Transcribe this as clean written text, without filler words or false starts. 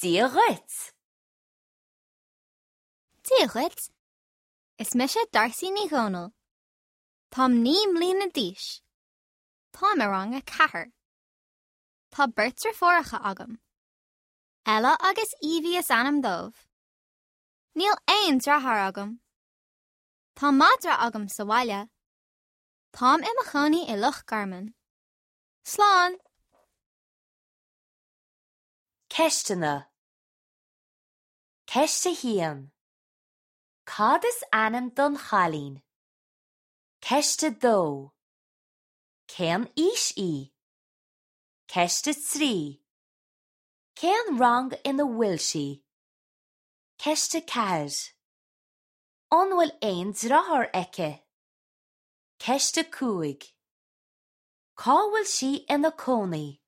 Dia dhuit! Dia dhuit! Is mise Darcy Ní Dhomhnaill. Táim 9 mbliana d'aois. Táim i rang a 4. Tá beirt deirfiúracha agam. Ella agus Evie is ainm dóibh. Níl aon deartháir agam. Tá madra agam sa bhaile. Táim i mo chónaí i Loch Garman. Slán! Ceisteanna Ceist 1. Cad is ainm don chailín? Ceist 2. Cén aois í? Ceist 3. Cén rang ina bhfuil sí? Ceist 4. An bhfuil aon deartháir aici? Ceist 5. Cá bhfuil sí ina cónaí?